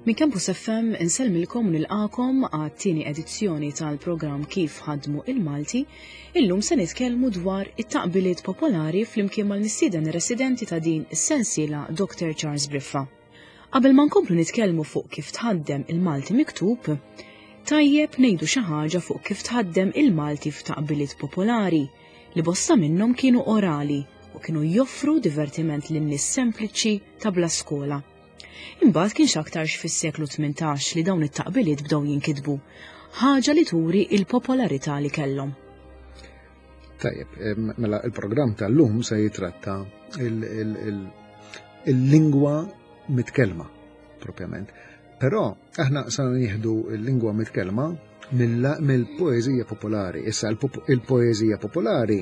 Minn Campus FM insellmilkom u nilqakom għat-tieni edizzjoni tal-programm Kif ħadmu il-Malti. Illum se nitkellmu dwar it-taqbiliet popolari flimkien mal-mistieden residenti ta' din is-sensiela Dr. Charles Briffa. Qabel ma nkomplu nitkellmu fuq kif tħaddem il-Malti miktub, tajjeb ngħidu xi ħaġa fuq kif tħaddem il-Malti f'taqbiliet popolari li bosta minnhom kienu orali u kienu joffru divertiment lin-nies sempliċi ta' bla skola. Imbagħad kien x'aktarx fis-seklu 18 li dawn it-taqbiliet bdew jinkitbu, ħaġa li turi il-popolarità li kellhom. Tajjeb, mela il-programm tal-lum se jitratta il-lingwa mitkellma propjament. Però aħna sa nieħdu l-lingwa mitkellma mill-poeżija popolari. Issa il-poeżija popolari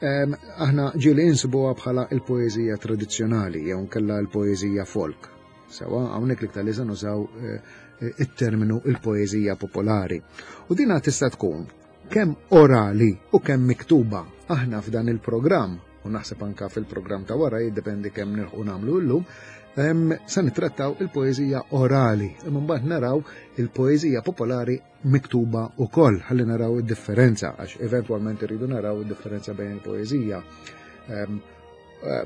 aħna ġieli insibuha bħala il-poeżija tradizzjonali jew nkella l-poeżija folk. Sewa, hawnhekk l-iktar li se nużaw eh, it-terminu il-poeżija popolari. U dina tista' tkun kemm orali u kemm miktuba. Aħna f'dan il-programm, u naħseb anka fil-programm ta' wara jiddependi kemm nilħqu nagħmlu llum, se nittrattaw il-poeżija orali, imma mbagħad naraw il-poeżija popolari miktuba wkoll, ħalli naraw id-differenza, għax eventwalment irridu naraw id-differenza bejn il-poeżija eh,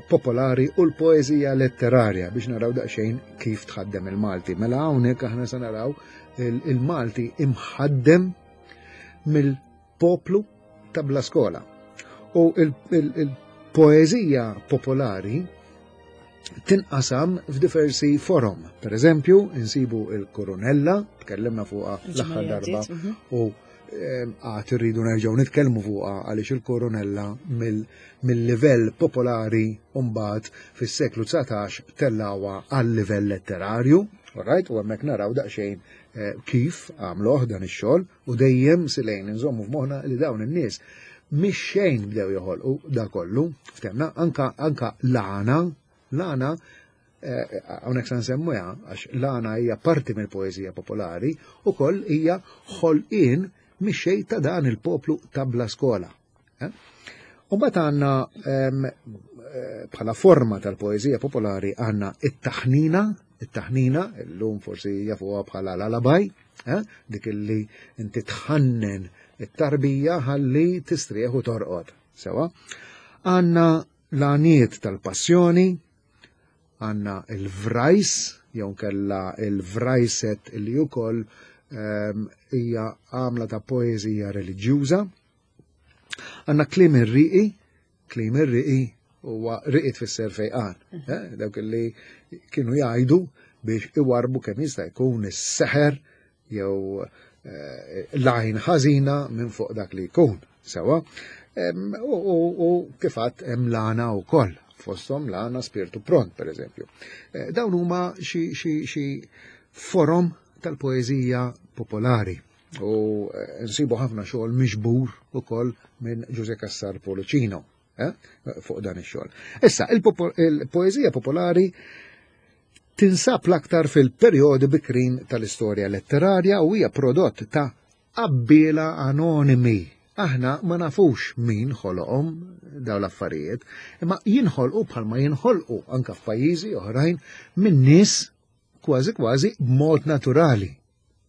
popolari u l-poeżija letterarja biex naraw daqsxejn kif tħaddem il-Malti. Mela hawnhekk aħna se naraw il-Malti imħaddem mill-poplu ta' bla skola. U il-poeżija popolari tinqasam f'diversi forom. Per eżempju, insibu il-Koronella, tkellimna fuqha l-aħħar darba, mhm. u ehm, għad irridu nerġgħu nitkellmu fuqha għaliex il-Koronella mill-livell popolari mbagħad fis-seklu 19 tellawa għal livell letterarju, right? U hemmhekk naraw daqsxejn eh, kif għamluh dan ix-xogħol u dejjem silejn inżommu f'moħħna li dawn in-nies mhix xejn bdew joħolqu da kollu, ftemna anka anka l-għana, l-għana eh, hawnhekk se nsemmuha għax l-għana hija parti mill-poeżija popolari ukoll hija ħolqien mix xejn ta' dan il-poplu ta' bla skola. Eh? U mbagħad għandna ehm, eh, bħala forma tal-poeżija popolari għandna it-taħnina, it-taħnina, illum forsi jafuha bħala l-alabaj, eh, dik illi inti tħannen it-tarbija ħalli tistrieħ u torqod. Sewa. Għandna l-għaniet tal-passjoni, għandna il-vrajs, jew kella il-vrajset li ukoll ehm, hija għamla ta' poeżija reliġjuża. Għanna klim ir-riqi, klim ir-riqi huwa riqi tfisser fejqan. Mhm. Eh, dawk li kienu jgħidu biex iwarbu kemm jista' jkun is-seħer jew eh, l-għajn ħażina minn fuq dak li jkun. Sewa. U kifat hemm l-għana wkoll fosthom l-għana spirtu pront, per eżempju. Eh, dawn huma xi forom tal-poeżija popolari. U eh, nsibu ħafna xogħol miġbur ukoll minn Ġuże Cassar Policino eh, fuq dan ix-xogħol. Issa, il-poeżija popolari tinsab l-aktar fil-perjodi bikrin tal-istorja letterarja u hija prodott ta' qabbiela anonimi. Aħna ma nafux min ħoloqhom daw l-affarijiet, imma jinħolqu bħalma jinħolqu anka f'pajjiżi oħrajn minn nies kważi kważi b'mod naturali.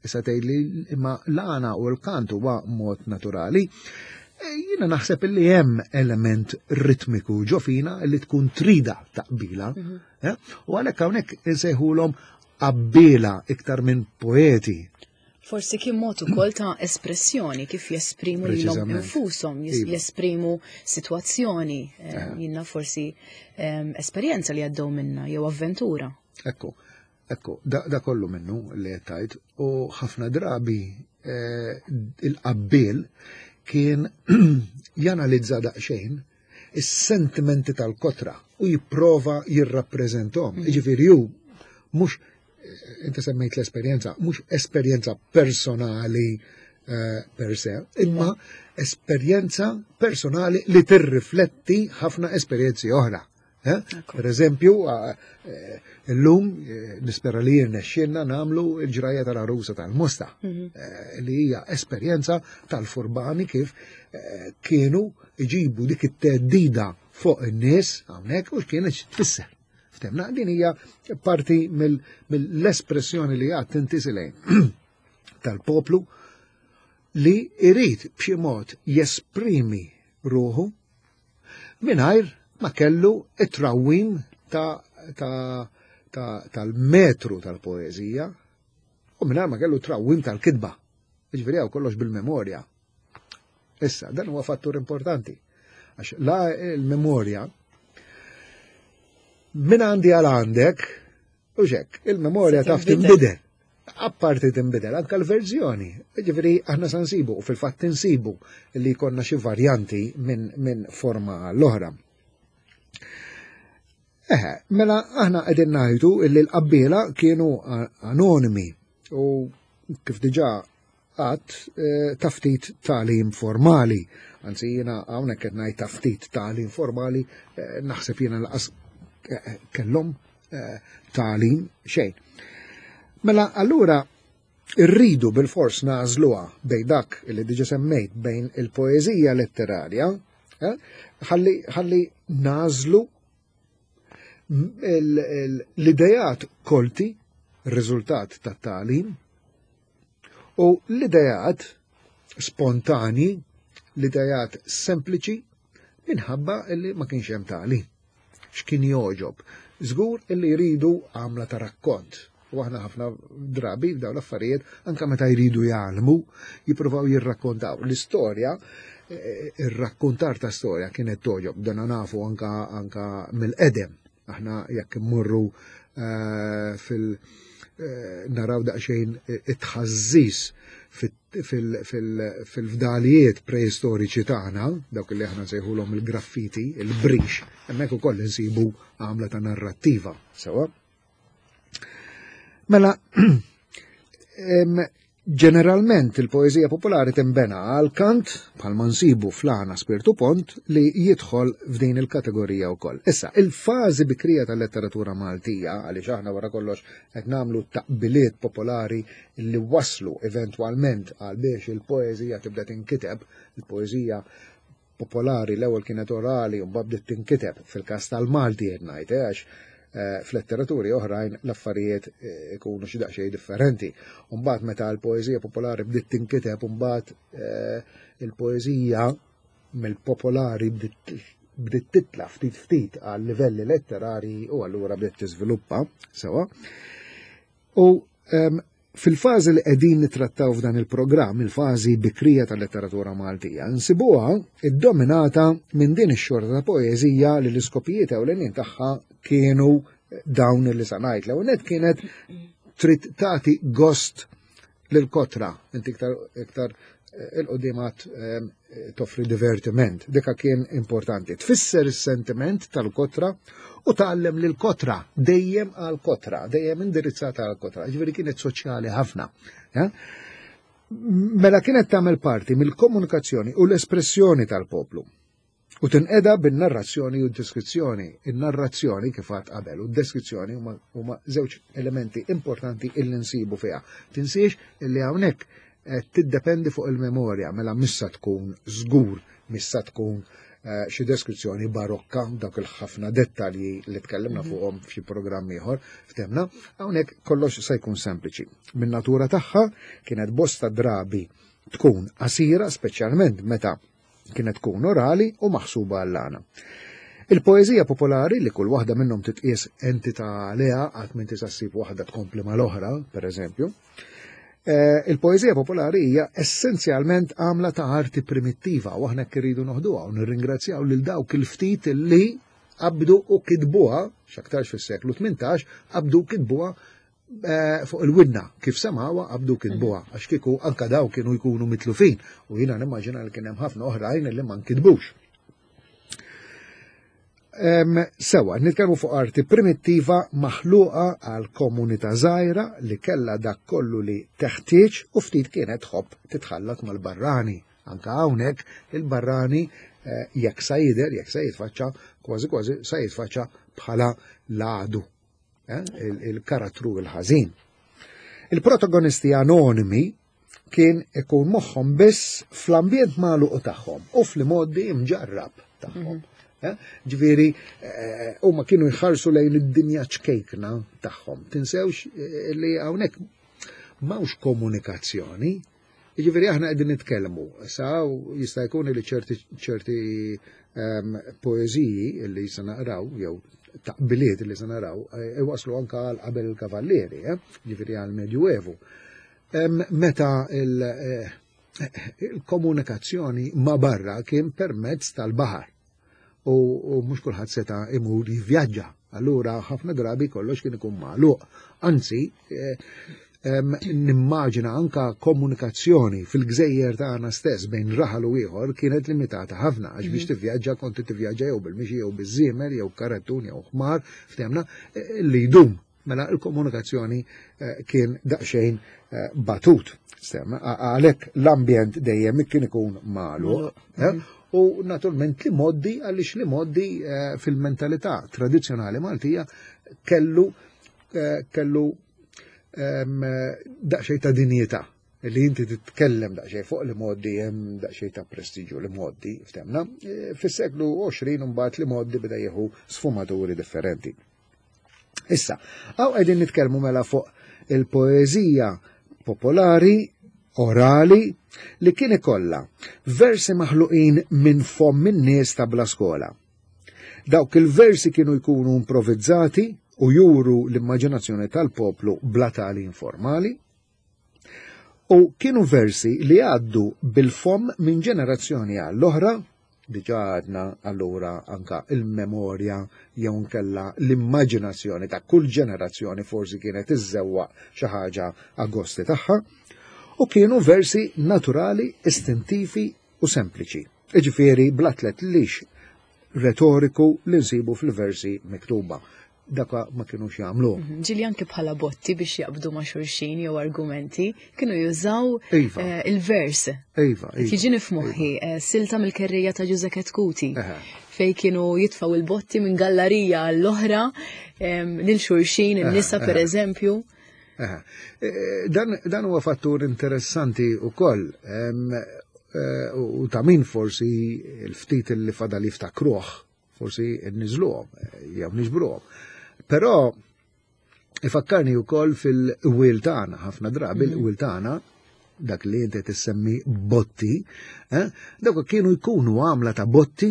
Issa tgħidli imma l-għana u l-kant huwa mod naturali. E, jiena naħseb li hemm element ritmiku ġo fina li tkun trida taqbila. Mhm. Eh? U għalhekk hawnhekk insejħulhom qabbila iktar minn poeti. Forsi kien mod ukoll ta' espressjoni kif jesprimu lilhom infushom, iva. jesprimu sitwazzjoni, eh, eh. jiena forsi esperjenza li għaddew minna jew avventura. Ekku, Ekku, da, da kollu minnu li qed tgħid u ħafna drabi eh, il-qabbil kien janalizza daqsxejn is-sentimenti tal-kotra u jipprova jirrappreżentom. Mm. Jiġifieri hu mhux eh, inti semmejt l-esperjenza, mhux esperjenza personali eh, per se, imma esperjenza personali li tirrifletti ħafna esperjenzi oħra. Eh? Per eżempju, eh, illum eh, nispera li jirnexxinna nagħmlu l-ġrajja tal-arusa tal-Mosta, mhm. li hija esperjenza tal-furbani kif kienu iġibu dik it-teddida fuq in-nies hawnhekk u x'kienet tfisser. Ftemna, din hija parti mill-espressjoni li għad tintisilejn tal-poplu li irid b'xi mod jesprimi ruħu mingħajr ma kellu it-trawwim tal-metru tal-poeżija u mingħajr ma kellu trawwim tal-kitba. Jiġifieri hawn kollox bil-memorja. Issa, dan huwa fattur importanti. Għax la il-memorja minn għandi għal għandek, u xek, il-memorja taf tinbidel. Apparti tinbidel, anka l-verżjoni. Ġifieri aħna sa nsibu, u fil-fatt insibu li jkollna xi varjanti minn min forma l-oħra. Eħe, mela aħna qegħdin ngħidu li l-qabbiela kienu anonimi u kif diġà għadt eh, ta' ftit tagħlim formali. Anzi jiena hawnhekk qed ngħid ta' ftit tagħlim formali, eh, naħseb jiena laqas eh, kellhom tagħlim xejn. Mela allura irridu bil-fors nażluha bejn dak li diġa semmejt bejn il-poeżija letterarja, ħalli ħalli nażlu l-idejat kolti, riżultat ta' tagħlim, u l-idejat spontani, l-idejat sempliċi, minħabba li ma kienx hemm tagħlim. X'kien jogħġob? Żgur illi jridu għamla ta' rakkont. U aħna ħafna drabi f'dawn l-affarijiet, anka meta jridu jgħallmu, jippruvaw jirrakkontaw. L-istorja, eh, ir-rakkontar ta' storja kienet toġob, dana nafu anka, anka mill-qedem. Aħna jekk immorru eh, fil- eh, naraw daqsxejn it-tħażżis fil-fdalijiet preistoriċi tagħna, dawk li aħna nsejħulhom il-graffiti, il-brix, hemmhekk ukoll insibu għamla ta' narrattiva, sewa. Mela, ġeneralment il-poeżija popolari timbena għal kant bħalma nsibu fl-għana Spirtu Pont li jidħol f'din il-kategorija wkoll. Issa, il-fażi bikrija tal-letteratura Maltija, għaliex aħna wara kollox qed nagħmlu taqbiliet popolari li waslu eventwalment għal biex il-poeżija tibda tinkiteb, il-poeżija popolari l-ewwel kienet orali u mbagħad bdiet tinkiteb fil-każ tal-Malti qed ngħid eh, għax eh, f'letteraturi oħrajn l-affarijiet eh, ikunu xi daqsxejn differenti. U mbagħad meta l-poeżija popolari bdiet tinkiteb u mbagħad il-poeżija mill-popolari bdiet titla ftit ftit għal livelli letterari u allura bdiet tiżviluppa sewa. U ehm, Fil-fażi li qegħdin nittrattaw f'dan il-programm, il-fażi bikrija tal-letteratura Maltija, nsibuha iddominata minn din ix-xorta ta' poeżija li l-iskopijiet ewlenin tagħha kienu dawn li sa ngħid. L-ewwel nett kienet trid tagħti gost lil kotra, inti iktar iktar il-qudiem toffri divertiment. Dika kien importanti. Tfisser is-sentiment tal-kotra u tgħallem lil kotra dejjem għal kotra, dejjem indirizzata għal kotra. Ġifieri kienet soċjali ħafna. Mela kienet tagħmel parti mill-komunikazzjoni u l-espressjoni tal-poplu. U tinqeda bin-narrazzjoni u d-deskrizzjoni. In-narrazzjoni kif għad qabel u d-deskrizzjoni huma żewġ elementi importanti illi nsibu fiha. Tinsiex illi hawnhekk eh, tiddependi fuq il-memorja mela missa tkun żgur, missa tkun eh, xi deskrizzjoni barokka dawk il-ħafna dettalji li tkellimna mhm. fuqhom f'xi programm ieħor ftemna, hawnhekk kollox se jkun sempliċi. Min-natura tagħha kienet bosta drabi tkun qasira speċjalment meta Kienet tkun orali u maħsuba għall-għana. Il-poeżija popolari li kull waħda minnhom titqies entità għaliha qatt m'inti sa ssib waħda tkompli mal-oħra, pereżempju. Eh, il-poeżija popolari hija essenzjalment għamla ta' arti primittiva u aħna irridu noħduha u nirringrazzjaw lil dawk il-ftit li qabdu u kitbuha, x'aktarx fis-seklu 18, qabdu u kitbuha Eh, fuq il-widna kif semawa qabdu kitbuha mhm. għax kieku anka daw kienu jkunu mitlufin u jiena nimmaġina li kien hemm ħafna oħrajn li ma nkitbux. Sewa, nitkellmu fuq arti primittiva maħluqa għal komunità żgħira li kellha dak kollu li teħtieġ u ftit kienet tħobb titħallat mal-barrani. Anka hawnhekk il-barrani eh, jekk sa jidher, jekk sa jitfaċċa, kważi kważi sa jitfaċċa bħala l-għadu. Eh, il-karattru il-ħażin. Il-protagonisti anonimi kien ikun moħħhom biss fl-ambjent magħluq tagħhom u fl-modi mġarrab tagħhom. Mhm. Eh? Ġifieri eh, huma kienu jħarsu lejn id-dinja ċkejkna tagħhom. Tinsewx eh, li hawnhekk m'hawnx komunikazzjoni. Ġifieri aħna qegħdin nitkellmu. Sa jista' jkun li ċerti ċerti ehm, poeżiji li se naqraw jew taqbiliet li se naraw iwaslu anka għal qabel il-kavallieri, ġifieri għal Medjuevu. Ehm, meta il- il-komunikazzjoni ma' barra kien permezz tal-baħar u, u mhux kulħadd seta' imur jivvjaġġa. Allura ħafna drabi kollox kien ikun magħluq. Anzi, eh, nimmaġina anka komunikazzjoni fil-gżejjer tagħna stess bejn raħal u ieħor kienet limitata ħafna għax biex mhm. tivvjaġġa kont tivvjaġġa jew bil-mixi jew biż-żiemel jew karettun jew ħmar ftemna eh, li jdum Mela il-komunikazzjoni eh, kien daqsxejn eh, batut. Għalhekk l-ambjent dejjem kien ikun magħluq. Eh, mhm. U naturalment li moddi għaliex li moddi fil-mentalità tradizzjonali Maltija kellu kellu ehm, daqsxejn ta' dinjità li inti titkellem daqsxejn fuq li moddi hemm daqsxejn ta' prestiġju li moddi ftemna. Fis-seklu 20 mbagħad li moddi beda jieħu sfumaturi differenti. Issa, għaw qegħdin nitkellmu mela fuq il-poeżija popolari, orali, li kien ikollha versi maħluqin minn fomm in-nies ta' bla skola. Dawk il-versi kienu jkunu improvizzati u juru l-immaġinazzjoni tal-poplu bla tali informali, U kienu versi li għaddu bil-fomm minn ġenerazzjoni għall-oħra, diġà għadna allura anka il-memorja jew nkella l-immaġinazzjoni ta' kull ġenerazzjoni forsi kienet iżżewwaq xi ħaġa agosti tagħha, u kienu versi naturali, istintivi u sempliċi. Iġifieri bla tletlix retoriku li nsibu fil-versi miktuba. Daka ma kinux jagħmlu. Mhm. Ġili anke bħala botti biex jaqbdu ma' xulxin jew argumenti, kienu jużaw iva. eh, il-vers. Iva, iva. Tiġini f'moħħi eh, silta mill-kerrija ta' Ġuże Ketkuti fej kienu jitfaw il-botti minn gallarija għall-oħra lil xulxin, in-nisa per eżempju. Eh, dan huwa fattur interessanti wkoll u ta' min forsi l-ftit li fadal jiftakruh forsi nniżluhom jew niġbruhom. Però ifakkarni wkoll fil-wil tagħna, ħafna drabi mhm. il-wil tagħna dak li inti tissemmi botti, eh, dawk kienu jkunu għamla ta' botti,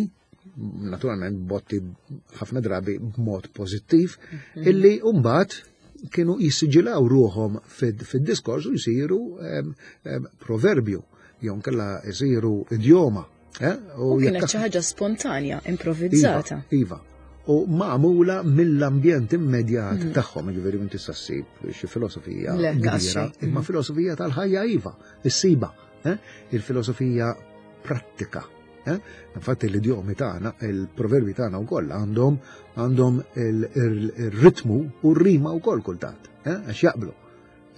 naturalment botti ħafna drabi b'mod pożittiv, mhm. illi mbagħad kienu jissiġilaw ruħhom fid-diskors u jsiru proverbju, jew nkella jsiru idjoma. Eh? U kienet xi ħaġa spontanja, improvvizzata. Iva, iva. U magħmula mill-ambjent immedjat mm. tagħhom, jiġifieri minn tista' ssib xi filosofija kbira, imma mm. filosofija tal-ħajja iva, issiba, eh? il-filosofija prattika. Eh? Infatti l-idjomi tagħna, il-proverbi tagħna wkoll għandhom għandhom il-ritmu u r-rima wkoll kultant, għax jaqblu.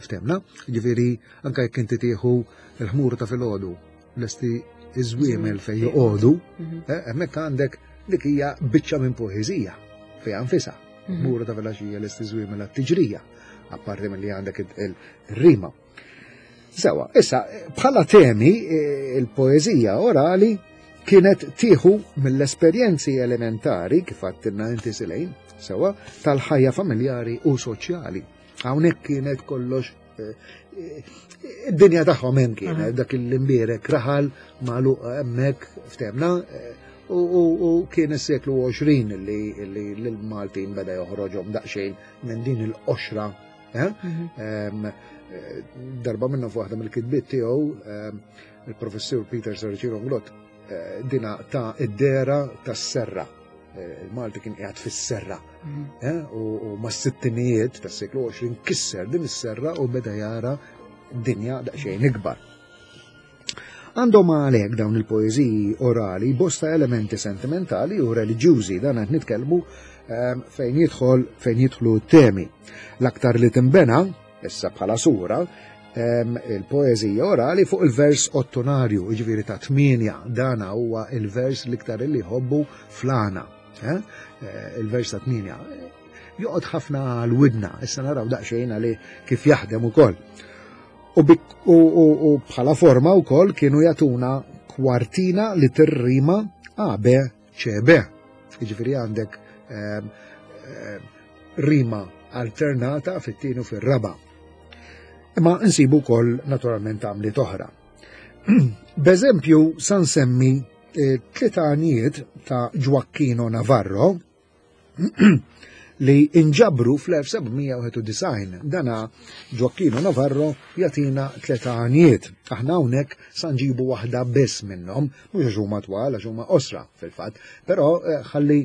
Ftemna, ġifieri anke jekk inti tieħu l-ħmur ta' filgħodu lesti iż-żwiemel fejn joqogħdu, mhm. eh, hemmhekk għandek dik hija biċċa minn poeżija fejn anfisha. Mhm. Ħmura ta' filgħaxija lesti żwiemel għat-tiġrija, apparti milli għandek il-rima. Sewa, issa, bħala temi, eh, il-poeżija orali kienet tieħu mill-esperjenzi elementari, kif għattinna inti silejn, sewa, tal-ħajja familjari u soċjali. Hawnhekk kienet kollox eh, id-dinja tagħhom hemm kienet dak il-imbierek raħal magħluq hemmhekk ftemna eh, u kien is-seklu 20 li l-Maltin beda joħroġhom daqsxejn minn din il-qoxra. Eh? Mhm. Darba minnu f'waħda mill-kitbiet tiegħu il-professur Peter Saracino Glott dina ta' id-dera tas-serra Eh, il-Malti kien qiegħed fis-serra. Mhm. Eh, u mas-sittinijiet tas-seklu 20 kisser din is-serra u beda jara dinja daqsxejn ikbar. Għandhom għalhekk dawn il-poeżiji orali bosta elementi sentimentali u reliġjużi dan qed nitkellmu ehm, fejn jidħol fejn jidħlu temi. L-aktar li timbena issa bħala sura, il-poeżija orali fuq il-vers ottonarju, jiġifieri ta' tmienja, dana huwa il-vers l-iktar li jħobbu flana, eh? Eh, il-vers ta' tmienja. Joqgħod ħafna għal-widna, issa naraw daqsxejn għali kif jaħdem ukoll. U bħala forma wkoll kienu jagħtuna kwartina li tirrima A, B, C, B. Jiġifieri għandek ehm, ehm, rima alternata fit-tieni u fir-raba'. Imma nsibu wkoll naturalment għamliet oħra. B'eżempju sa nsemmi eh, tliet ta' Gioacchino Navarro li inġabru fl-1791. Dana Gioacchino Navarro jatina tliet Aħna hawnhekk sa nġibu waħda biss minnhom, mhux għax huma twal għax huma qosra fil-fatt, però eh, ħalli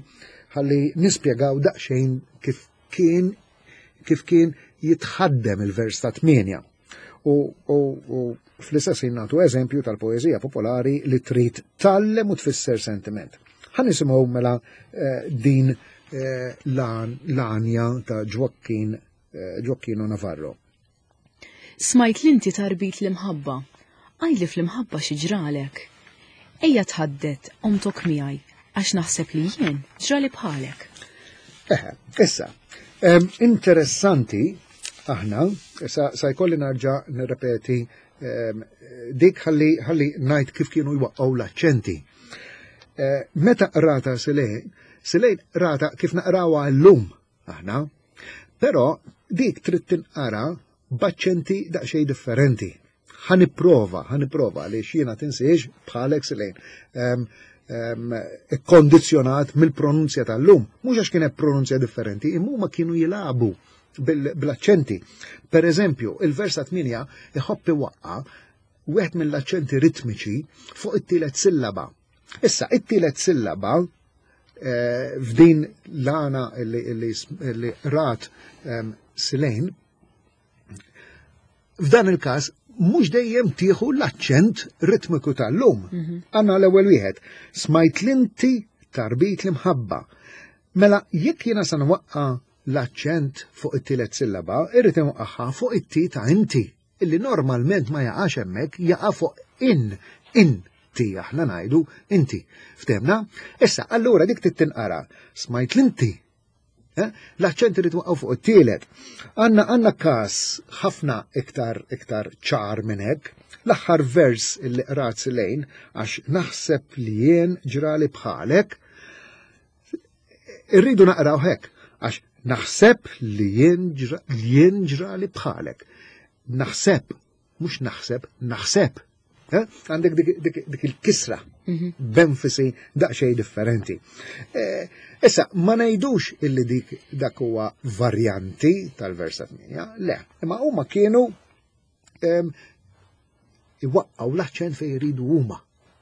ħalli nispjegaw daqsxejn kif kien kif kien jitħaddem il-vers ta' tmienja. U, u, u fl-istess ħin nagħtu eżempju tal-poeżija popolari li trid tallem u tfisser sentiment. Ħa nisimgħu mela eh, din eh, l-għanja ta' Gioacchino eh, Gioacchino Navarro. Smajt l-inti tarbit l-imħabba, għidli fl-imħabba xi ġralek. Ejja tħaddet omtok miegħi għax naħseb li jien ġrali bħalek. Eħe, issa, interessanti aħna, sa, sa jkolli narġa nirrepeti dik ħalli ħalli ngħid kif kienu jwaqqgħu l-aċċenti. Eh, meta qrata Silej, Silej rata kif naqrawha llum aħna, però dik trid tinqara b'aċċenti daqsxejn differenti. Ħa nipprova, ħa nipprova li jiena tinsiex bħalek Silejn. Kondizjonat mill-pronunzja tal-lum. Mhux għax kienet pronunzja differenti, imma huma kienu jilagħbu bil-aċċenti. Per eżempju, il-vers ta' 8 iħobb iwaqqa wieħed mill-aċċenti ritmiċi fuq it-tielet sillaba. Issa, it-tielet sillaba eh, f'din l-għana li rat ehm, Silejn, f'dan il-każ mhux dejjem tieħu l-aċċent ritmiku tal-lum. Mhm. Għandna l-ewwel wieħed, smajt l-inti tarbit l-imħabba. Mela jekk jiena sa nwaqqa l-aċċent fuq it-tielet sillaba, irrid inwaqqaha fuq it-ti ta' inti, illi normalment ma jaqax hemmhekk, jaqa' fuq in, in ti aħna ngħidu inti. Ftemna? Issa, allura dik tittinqara, smajt l-inti Eh? L-aċċent irid waqgħu fuq it-tielet. Għandna għandna każ ħafna iktar iktar ċar minn hekk. L-aħħar vers illi qrat lejn għax naħseb li jien ġrali bħalek. Irridu naqraw hekk għax naħseb li jien ġrali bħalek. Naħseb mhux naħseb, naħseb. Eh? Għandek dik il-kisra mhm. b'enfasi daqsxejn differenti. Eh, issa, ma ngħidux illi dik dak huwa varjanti tal-versa 8, le, imma huma kienu iwaqqgħu l-aċċent fejn jridu huma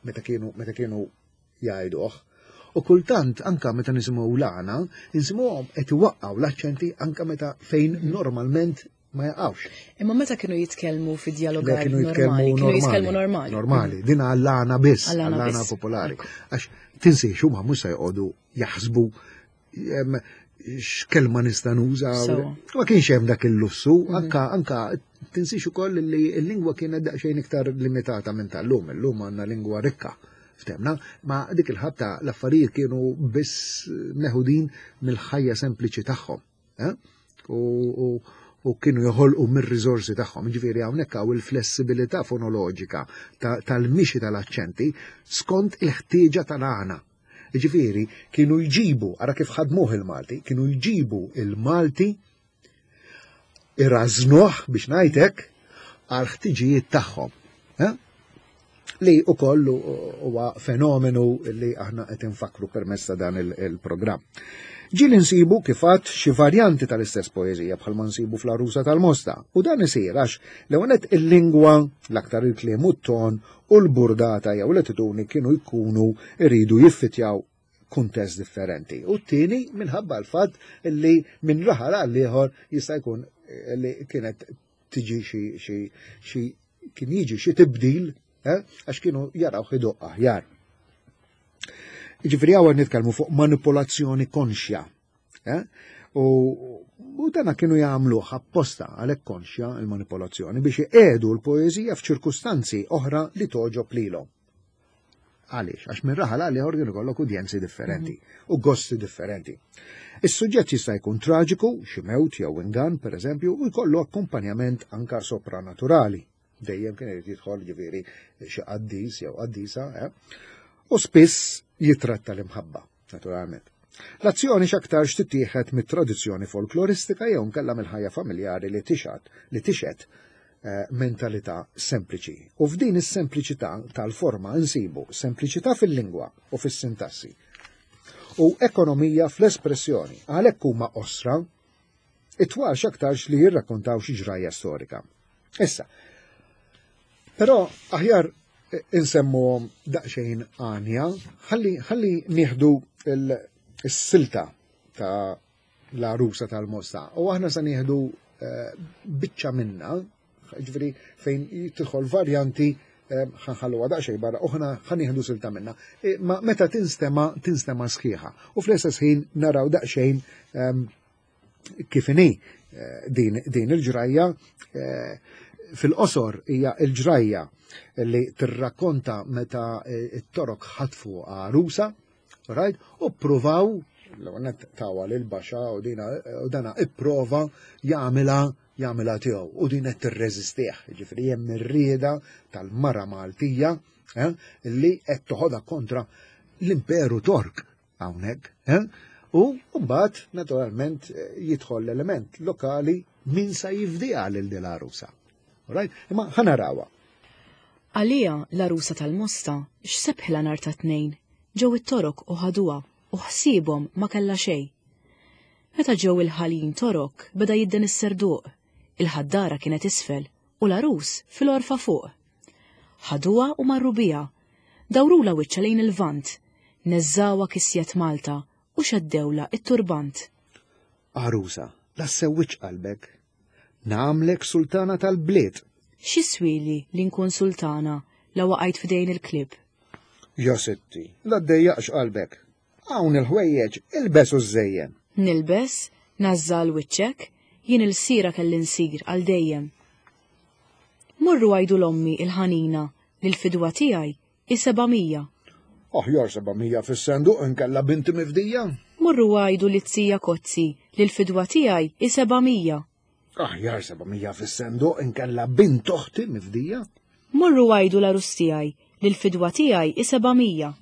meta kienu meta kienu jgħiduh. U kultant anka meta nisimgħu l-għana, nisimgħuhom qed iwaqqgħu l-aċċenti anka meta fejn mhm. normalment ma jaqgħux. Imma meta kienu jitkellmu fi dialogar kienu jitkellmu kienu jitkellmu normali. Normali, din għall-għana biss, għall-għana popolari. Għax tinsiex huma mhux se jqogħdu jaħsbu x'kelma nista' nuża. Ma kienx hemm dak il-lussu, mhm. anka anka tinsiex ukoll li l-lingwa kienet daqsxejn iktar limitata minn tal-lum, illum għandna lingwa rikka. Ftemna, ma dik il-ħabta l-affarijiet kienu biss meħudin mill-ħajja sempliċi tagħhom. Eh? U, u kienu joħolqu mir-riżorsi tagħhom. Ġifieri hawnhekk hawn il-flessibilità fonoloġika tal-mixi tal-aċċenti skont il-ħtieġa tal-għana. Ġifieri kienu jġibu, ara kif ħadmuh il-Malti, kienu jġibu il-Malti irażnuh biex ngħidlek għal ħtiġijiet tagħhom. Eh? Li ukoll huwa fenomenu li aħna qed infakkru permezz ta' dan il-programm. Ġieli nsibu kif għadt xi varjanti tal-istess poeżija bħalma nsibu fl-Għarusa tal-Mosta u dan isir għax l-ewwel il-lingwa l-aktar il-kliem u t-ton u l-burdata jew l-attitudni kienu jkunu jridu jiffitjaw kuntest differenti. U t-tieni minħabba l-fatt li minn raħal għal ieħor jista' jkun li kienet tiġi xi xi xi kien jiġi xi tibdil eh, għax kienu jaraw idoqq aħjar. Ġifieri hawn nitkellmu fuq manipolazzjoni konxja. Eh? U, u dana kienu jagħmluh apposta għalhekk konxja il-manipolazzjoni biex iqiegħdu l-poeżija f'ċirkustanzi oħra li toġob lilhom. Għaliex? Għax minn raħal għal ieħor kien ikollok udjenzi differenti mhm. u gosti differenti. Is-suġġett jista' jkun traġiku, xi mewt jew ingan, pereżempju, u jkollu akkumpanjament anka sopranaturali. Dejjem kien irid jidħol ġifieri xi qaddis jew qaddisa, eh? u spiss jitratta l-imħabba, naturalment. L-azzjoni x'aktarx tittieħed mit-tradizzjoni folkloristika jew nkella mill-ħajja familjari li tixgħad li tixhed eh, mentalità sempliċi. U f'din is-sempliċità tal-forma nsibu sempliċità fil-lingwa u fis-sintassi u ekonomija fl-espressjoni, għalhekk huma qosra, it-twal x'aktarx li jirrakkontaw xi ġrajja storika. Issa, però aħjar insemmuhom daqsxejn għanja, ħalli ħalli nieħdu s-silta ta' l-għarusa tal-Mosta u aħna se nieħdu eh, biċċa minna, ġifieri fejn tidħol varjanti eh, ħanħalluha daqsxejn barra u ħana ħanieħdu silta minna. Eh, ma meta tinstema tinstema sħiħa. U fl-istess ħin naraw daqsxejn ehm, kif inhi eh, din, din il-ġrajja eh, fil-qosor hija l-ġrajja li tirrakkonta meta eh, it-torok ħatfu għarusa, right? U ppruvaw l-għonet tawa lil baxa u dina u dana ipprova jagħmilha jagħmilha tiegħu u din qed tirreżistih, jiġifieri hemm ir-rieda tal-mara Maltija eh, li qed toħodha kontra l-Imperu Tork hawnhekk. Eh? U mbagħad naturalment jidħol l-element lokali min sa jifdiha lil din l-għarusa. Right? Imma ħanarawha. Għalija l-għarusa tal-Mosta x'sebħilha nhar ta' Tnejn, ġew it-Torok u ħaduha u ħsiebhom ma kellha xejn. Meta ġew il-ħaljin Torok beda jidden is-serduq, il-ħaddara kienet isfel u l-għarus fil-għorfa fuq. Ħaduha u marru biha, dawrulha wiċċha lejn il-Lvant, neżżgħuha kisjet Malta u xeddewlha t-turbant. Għarusa, la ssewwidx qalbek. Nagħmlek sultana tal-bliet. X'jiswieli li nkun sultana la waqajt f'idejn il-klieb? Ja sitti, la ddejjaqx qalbek. Hawn il-ħwejjeġ, ilbes u żżejjen. Nilbes, ngħażża għal wiċċek, jien ilsira kelli nsir għal dejjem. Morru għidu 'l ommi il-ħanina li l-fidwa tiegħi hi 700. Aħjar 700 fis-senduq inkella binti mifdija. Morru għidu lit-zija Kozzi li l-fidwa tiegħi hi 700. Aħjar 700 fis-senduq inkella bint oħti mifdija. Morru għidu l-għarus tiegħi li l-fidwa tiegħi hi 700.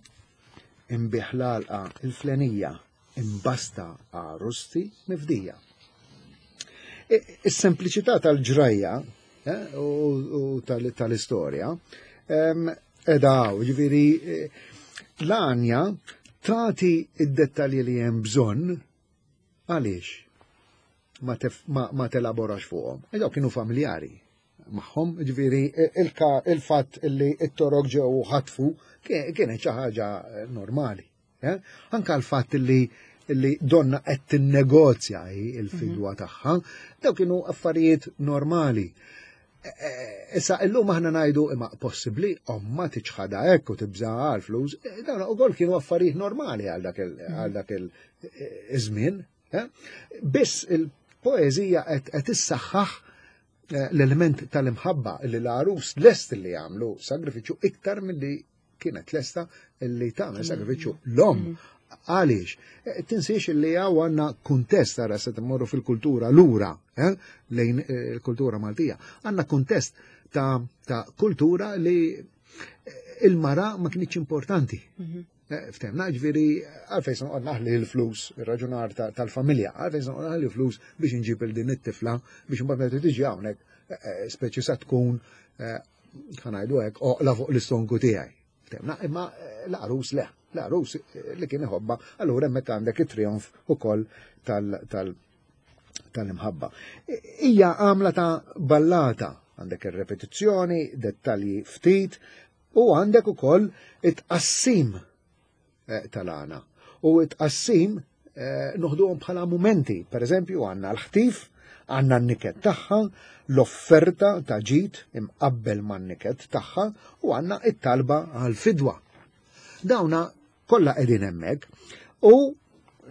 Inbigħ l-għalqa il-flenija imbasta għarusti mifdija. Is-sempliċità tal-ġrajja eh, u tal-istorja edha ġifieri eh, l-għanja tagħti id-dettalji li hemm bżonn Għaliex ma, ma, ma telaborax fuqhom? E dawk kienu familjari magħhom, ġifieri il-fatt li t-torok ġew ħatfu kienet xi ħaġa normali. Eh? Anka l-fatt li li donna qed tinnegozja il-fidwa mhm. tagħha, daw kienu affarijiet normali. E, e, issa illum aħna ngħidu imma possibbli omma tiċħadha hekk u tibża' għal flus, e, dawn ukoll kienu affarijiet normali għal dak mhm. iż-żmien. Eh? Biss il-poeżija qed issaħħaħ eh, l-element tal-imħabba li l-għarus lest li jagħmlu sagrifiċċju iktar milli kienet lesta li tagħmel mm. sagrifiċċju l-om. Mm. Għaliex? Eh, tinsiex li għaw għanna kuntest għara se timmorru fil-kultura lura, lejn il-kultura Maltija. Għanna kuntest ta', ta kultura li il-mara ma kienx importanti. Mm-hmm. Eh, ftemna, ġviri, għalfejn se noqgħod naħli l-flus, ir-raġunar tal-familja, għalfejn se noqgħod naħli l-flus biex nġib il din it-tifla biex imbagħad meta tiġi hawnhekk eh, eh, speċi sa tkun ħanajdu hekk oqla fuq l-istonku tiegħi. Ftemna, imma l-għarus le, l-għarus li kien iħobba, allura hemmhekk għandek it-trionf ukoll tal tal-imħabba. Hija għamla ta' ballata, għandek ir-repetizzjoni, dettalji ftit, U għandek ukoll it-tqassim eh, tal-għana. U it-tqassim eh, noħduhom bħala mumenti. Per eżempju, għandna l-ħtif, għandna n-niket tagħha, l-offerta ta' ġid imqabbel man-niket tagħha u għandna it-talba għal-fidwa. Dawna kollha qegħdin hemmhekk u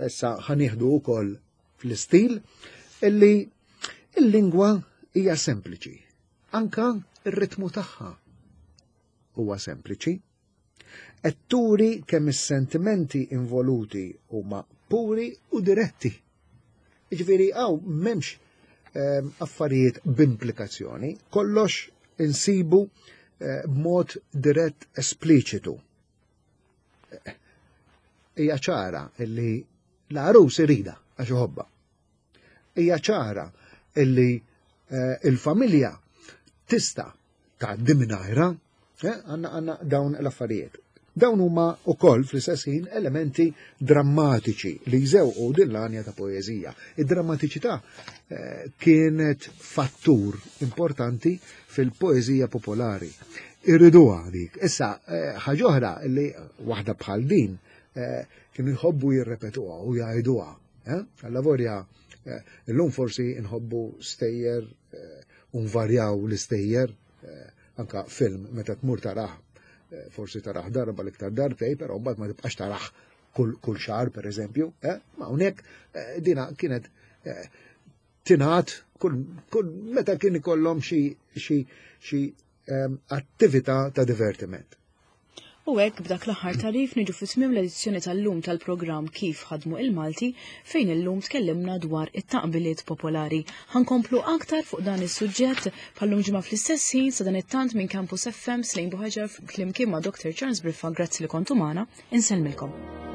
issa ħanieħdu wkoll fl-istil illi il-lingwa hija sempliċi. Anka r-ritmu tagħha huwa sempliċi. Qed turi kemm is-sentimenti involuti huma puri u diretti. Jiġifieri hawn m'hemmx ehm, affarijiet b'implikazzjoni, kollox insibu eh, b'mod dirett espliċitu. Hija ċara li L-għarus irida għax iħobbha. Hija ċara illi eh, il-familja tista' tgħaddi mingħajra, eh, għandna għandna dawn l-affarijiet. Dawn huma wkoll fl-istess ħin elementi drammatiċi li jżewqu din l-għanja ta' poeżija. Id-drammatiċità eh, kienet fattur importanti fil-poeżija popolari. Irriduha dik. Issa, eh, ħaġa oħra li waħda bħal din eh, kienu jħobbu jirrepetuha u jgħiduha. Alla vorja, illum forsi nħobbu stejjer u nvarjaw l-istejjer, anka film meta tmur tarah, forsi tarah darba l-iktar darbtej, però mbagħad ma tibqax tarah kull, kull xahar per eżempju, eh? ma hawnhekk eh, dina kienet eh, tingħad kull, kull meta kien ikollhom xi xi xi ehm, attività ta' divertiment. U hekk b'dak l-aħħar tarif niġu fi tmiem l-edizzjoni tal-lum tal-programm Kif ħadmu il-Malti fejn illum tkellimna dwar it-taqbiliet popolari. Ħankomplu aktar fuq dan is-suġġett bħallum ġimgħa fl-istess ħin sa dan it-tant minn Campus FM Slejn Buħaġar flimkien ma' Dr. Charles Briffa grazzi li kontu magħna, insellmilkom.